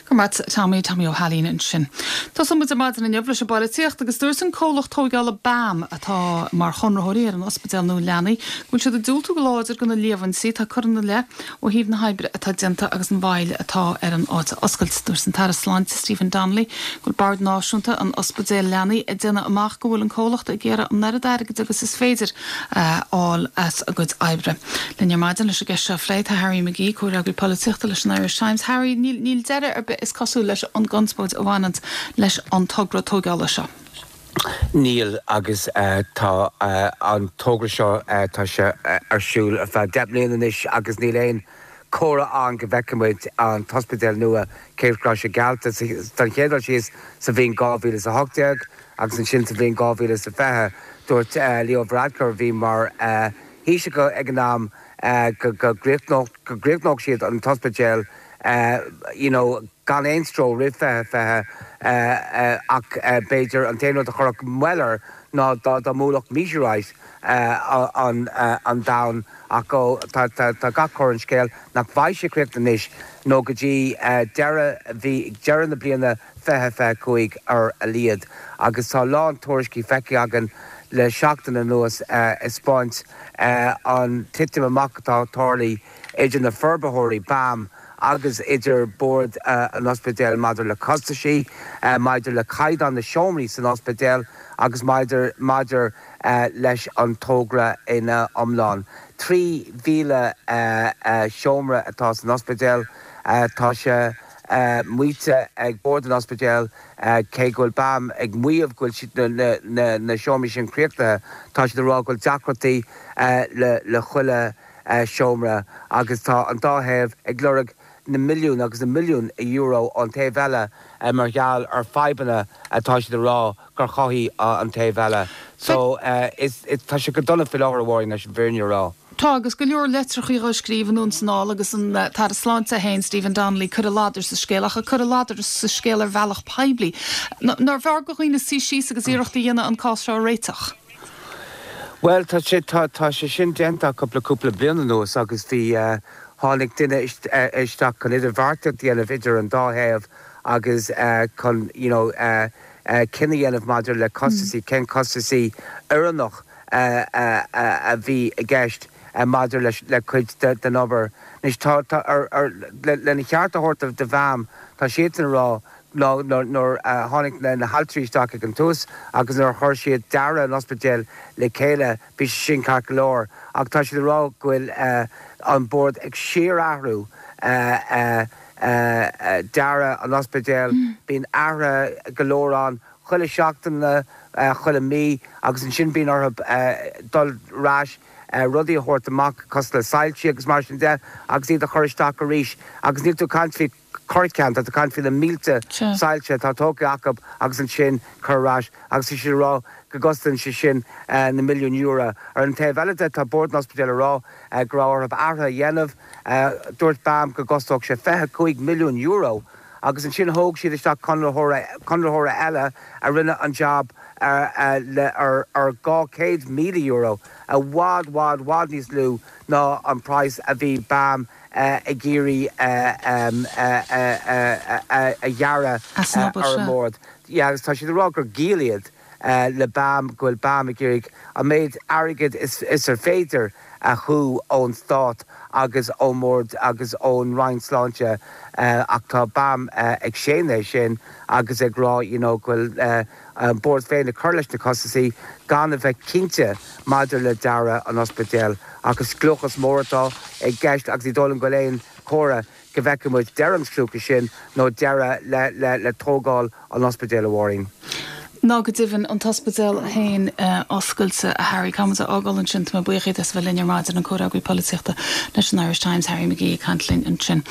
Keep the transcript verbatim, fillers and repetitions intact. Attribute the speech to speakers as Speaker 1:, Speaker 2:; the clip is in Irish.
Speaker 1: Go mat Tommy Tommy Ó hAilín ansin. Tá muid ar maidin inniu leis an bpolaitíocht agus dúirt an comhlacht tógála BAM atá mar chonraitheoirí ar an ospidéal nua leanaí, go bhfuil siad ag diúltú go láidir do na líomhaintí atá curtha ina leith ó thaobh na hoibre atá déanta agus an mhoill atá ar an áit a oscailt dúirt an tAire Sláinte Stephen Donnelly go bhfuil Bord Náisiúnta an Ospidéal Leanaí ag déanamh amach go bhfuil an comhlacht ag iarraidh an oiread airgid agus is féidir a fháil as a gcuid oibre. Linn ar maidin leis an gceist seo a phlé tá Harry McGee comhfhreagraí polaitíochta leis an Irish Times. Harry níl níl deireadh ar bith is cosúil leis an gconspóid a bhaineann leis an togra tógála seo.
Speaker 2: Níl agus uh, tá uh, an togra seo uh, tá sé uh, ar siúl ar feadh deich mbliana anois agus níl aon chomhartha ann go bhfeicfimid an t-ospidéal nua cé go raibh sé geallta don chéad dul síos sa bhliain dhá mhíle a hocht déag agus ansin sa bhliain dhá mhíle sa fiche dúirt uh, Leo Varadkar bhí mar uh, Thaoiseach ag an am uh, go gcríochnódh siad an t-ospidéal uh, you know, gan aon stró roimh fiche fiche ach b'fhéidir an t-aon rud a chuirfeadh moill air ná dá dá mbuailfeadh meteorite an an domhan ach tá gach cor an scéal nach bhfaighidh sé críochnaithe anois nó go dtí deireadh bhí deireadh na bliana fiche fiche cúig ar a laghad agus tá lán tuairiscí feicthe againn le seachtain anuas ag spáint an titim amach atá tarlaithe idir na forbarthóirí BAM agus idir bord an ospidéil maidir le costaisí, maidir le caighdeán na seomraí san ospidéal agus maidir maidir leis an togra ina iomlán. Trí mhíle seomra atá san ospidéal tá sé maíte ag bord an ospidéil cé go bhfuil BAM ag maíomh go bhfuil na na seomraí sin críochnaithe tá siad ag rá go bhfuil deacrachtaí le le chuile seomra agus tá an dá thaobh ag lorg na milliún agus na milliún euro ón taobh eile mar gheall ar fadhbanna atá siad ag rá gur chothaigh an taobh eile. So is tá sé go dona faoi láthair amháin leis an bhfírinne a rá.
Speaker 1: Tá agus go leor litreacha á scríobh anonn is anall agus an tAire Sláinte féin Stephen Donnelly cur a ladar sa scéal ach cur a ladar sa scéal ar bhealach poiblí. Nárbh fhearr do dhaoine suí síos agus iarracht a dhéanamh an cás seo a réiteach.
Speaker 2: Well tá sé tá tá sé sin déanta cúpla cúpla bliain anuas agus bhí uh, tháinig duine isteach chun idirbheartaíocht a dhéanamh idir an dá thaobh agus uh, chun you know, uh, uh, cinneadh a dhéanamh maidir le costaisí mm. cén costaisí oiriúnach uh, uh, uh, a bhí i gceist uh, maidir leis le cuid den obair. Anois tá lena cheart a thabhairt do BAM tá siad ag rá nuair a tháinig na haltraí isteach ag an tús agus nuair a chuir siad dearadh an ospidéil le chéile bhí sin ceart go leor ach tá siad ag rá go bhfuil an bord ag síorathrú dearadh an ospidéil bíonn athruithe go leor ann chuile seachtain chuile mí agus ansin bíonn orthu dul ar ais rudaí a thabhairt amach cosúil le soilsí agus mar sin de agus iad a chur isteach arís agus níl tú ag caint faoi corrcheann tá caint faoi na mílte soilse atá tógtha acu agus ansin cur ar ais agus is rá go gcosnaíonn sé sin na milliún euro. Ar an taobh eile de tá bord an ospidéil ag rá go raibh orthu athruithe a dhéanamh dúirt BAM go gcosnódh sé fiche cúig milliún euro agus ansin thóg siad isteach conraitheoir eile a rinne an jab ar ar dhá chéad míle euro i bhfad bhfad bhfad níos lú ná an praghas a bhí BAM ag iarraidh a ghearradh ar an mbord. Agus tá siad ag rá gur giall iad le BAM go bhfuil BAM ag iarraidh an méid airgid is ar féidir a shú ón stát agus ón mbord agus ón Roinn Sláinte ach tá BAM ag séanadh sin agus ag rá you know go bhfuil an bord féin ag cur leis na costaisí gan a bheith cinnte maidir le dearadh an ospidéil ach is scliúchas mór atá i gceist agus ní dóigh liom go bhfuil aon chomhartha go bhfeicfidh muid deireadh an scliúchais sin nó deireadh le le le tógáil an ospidéil a Mháirín.
Speaker 1: Ná go deimhin an t-ospidéal féin oscailte a Harry Caithfidh muid a fhágáil ansin tá mé buíoch díot as a bheith linn ar maidin an comhfhreagraí polaitíochta leis an Irish Times Harry McGee ag caint linn ansin.